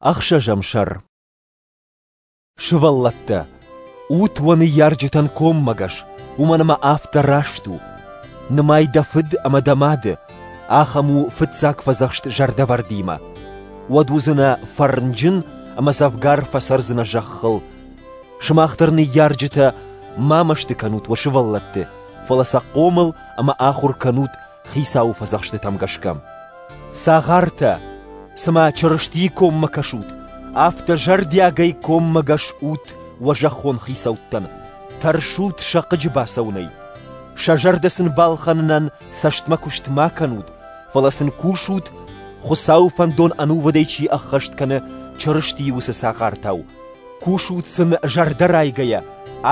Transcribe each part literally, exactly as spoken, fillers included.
Ӕхсӕзӕм сӕр. Сывӕллӕттӕ, ут уӕ ныййарджытӕн коммӕгӕс, уымӕн ӕмӕ афтӕ раст у. Нымай дӕ фыд ӕмӕ дӕ мады, ахӕм у фыццаг фӕдзӕхст зӕрдӕвӕрдимӕ. Уӕд уыдзынӕ фӕрнджын ӕмӕ дзӕвгар фӕцӕрдзынӕ зӕххыл. Сымах дӕр, ныййарджытӕ, ма мӕсты кӕнут уӕ сывӕллӕтты, фӕлӕ сӕ хъомыл ӕмӕ ахуыр кӕнут Хицауы фӕдзӕхстытӕм гӕсгӕ. Цагъартӕ, цыма Чырыстийы коммӕ кӕсут, афтӕ зӕрдиагӕй коммӕгӕс ут уӕ зӕххон хицӕуттӕн, тӕрсут сӕ хъыджы бацӕуынӕй. Сӕ зӕрдӕ сын балхӕнынӕн цӕстмӕ куыст ма кӕнут, фӕлӕ сын кусут, Хуыцауы фӕндон ӕнувыдӕй чи ӕххӕст кӕны, Чырыстийы уыцы цагъартау. Кусут сын зӕрдӕрайгӕйӕ,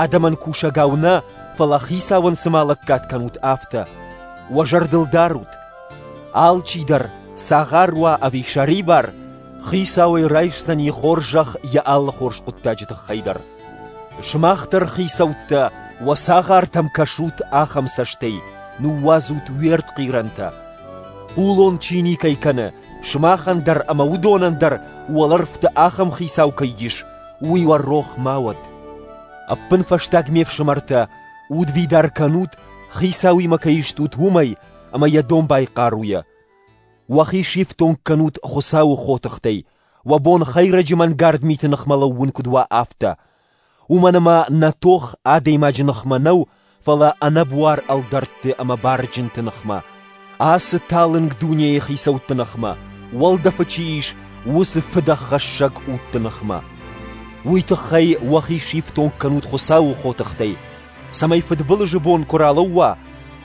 адӕмӕн кусӕгау нӕ, фӕлӕ Хицауӕн цыма лӕггад кӕнут, афтӕ. Уӕ зӕрдыл дарут, алчидӕр, цагъар уа ӕви сӕрибар, Хицауӕй райсдзӕни хорзӕх йӕ алы хорз хъуыддаджы тыххӕй дӕр. Сымах дӕр, хицӕуттӕ, уӕ цагъартӕм кӕсут ахӕм цӕстӕй, ныууадзут уе ртхъирӕнтӕ. Хъулон чи никӕй кӕны, сымахӕн дӕр ӕмӕ уыдонӕн дӕр уӕлӕрвты ахӕм хицау кӕй ис, уый уӕ рох ма уӕд. Ӕппынфӕстаг, ме фсымӕртӕ, удвидар кӕнут, Хицауимӕ кӕй стут, уымӕй ӕмӕ йӕ домбай хъаруйӕ. Уӕхи сифтонг кӕнут Хуыцауы хотыхтӕй, уӕ бон хӕйрӕджы мӕнгард миты ныхмӕ лӕууын куыд уа, афтӕ. Уымӕн ӕмӕ нӕ тох адӕймаджы ныхмӕ нӕу, фӕлӕ ӕнӕбуар ӕлдӕртты ӕмӕ барджынты ныхмӕ, ацы талынг дунейы хицӕутты ныхмӕ, уӕлдӕфы чи ис, уыцы фыдӕххӕссӕг удты ныхмӕ. Уый тыххӕй уӕхи сифтонг кӕнут Хуыцауы хотыхтӕй, цӕмӕй фыдбылызы бон куы ралӕууа,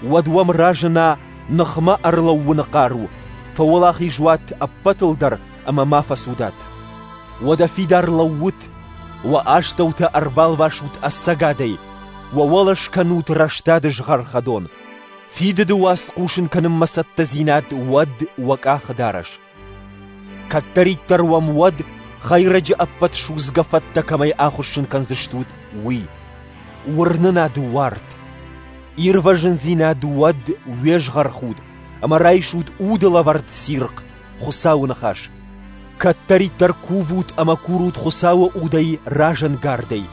уӕд уӕм разына ныхмӕ ӕрлӕууыны хъару, фӕуӕлахиз уат ӕппӕтыл дӕр ӕмӕ ма фӕцудат. Уӕдӕ фидар лӕуут, уӕ астӕутӕ ӕрбалвасут ӕцӕгадӕй, уӕ уӕлӕ скӕнут рӕстады згъӕрхӕдон. Фидыды уац хъусын кӕнынмӕ цӕттӕдзинад уӕд уӕ къахыдарӕс. Кӕддӕриддӕр уӕм уӕд, хӕйрӕджы ӕппӕт судзгӕ фӕттӕ кӕмӕй ахуыссын кӕндзыстут, уый. Уырнынады уарт. Ирвӕзындзинад уӕд уе згъӕрхуд, ӕмӕ райсут уды лӕвӕрд цирхъ, Хуыцауы ныхас. Кӕддӕриддӕр кувут ӕмӕ курут Хуыцауы удӕй разӕнгардӕй.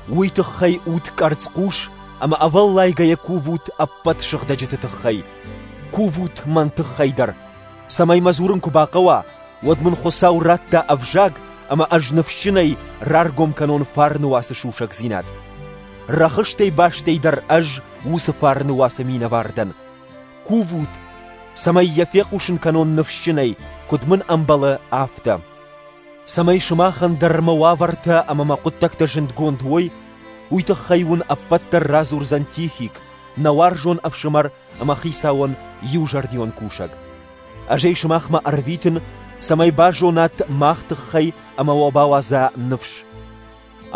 Уый тыххӕй ут къӕрцхъус ӕмӕ ӕвӕллайгӕйӕ кувут ӕппӕт сыгъдӕджыты тыххӕй. Кувут мӕн тыххӕй дӕр, цӕмӕй мӕ дзурын куы бахъӕуа, уӕд мын Хуыцау радта ӕвзаг ӕмӕ ӕз ныфсджынӕй раргом кӕнон фарны уацы сусӕгдзинад. Рӕхыстӕй бастӕй дӕр ӕз уыцы фарны уацы минӕвар дӕн. Кувут, цӕмӕй йӕ фехъусын кӕнон ныфсджынӕй, куыд мын ӕмбӕлы, афтӕ. Цӕмӕй сымахӕн дӕр мӕ уавӕртӕ ӕмӕ мӕ хъуыддӕгтӕ зындгонд уой, уый тыххӕй уын ӕппӕт дӕр радзурдзӕн Тихик, нӕ уарзон ӕфсымӕр ӕмӕ Хицауӕн иузӕрдион кусӕг. Ӕз ӕй сымахмӕ ӕрвитын, цӕмӕй базонат мах тыххӕй ӕмӕ уӕ бауадза ныфс.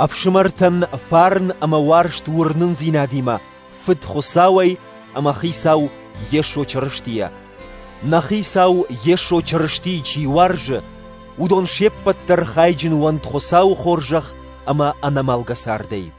Ӕфсымӕртӕн фарн ӕмӕ уарзт уырнындзинадимӕ Фыд Хуыцауӕй ӕмӕ Хицау Йесо Чырыстийӕ. Нӕ Хицау Йесо Чырыстийы чи уарзы, уыдон се ппӕт дӕр хайджын уӕнт Хуыцауы хорзӕх ӕмӕ ӕнӕмӕлгӕ цардӕй.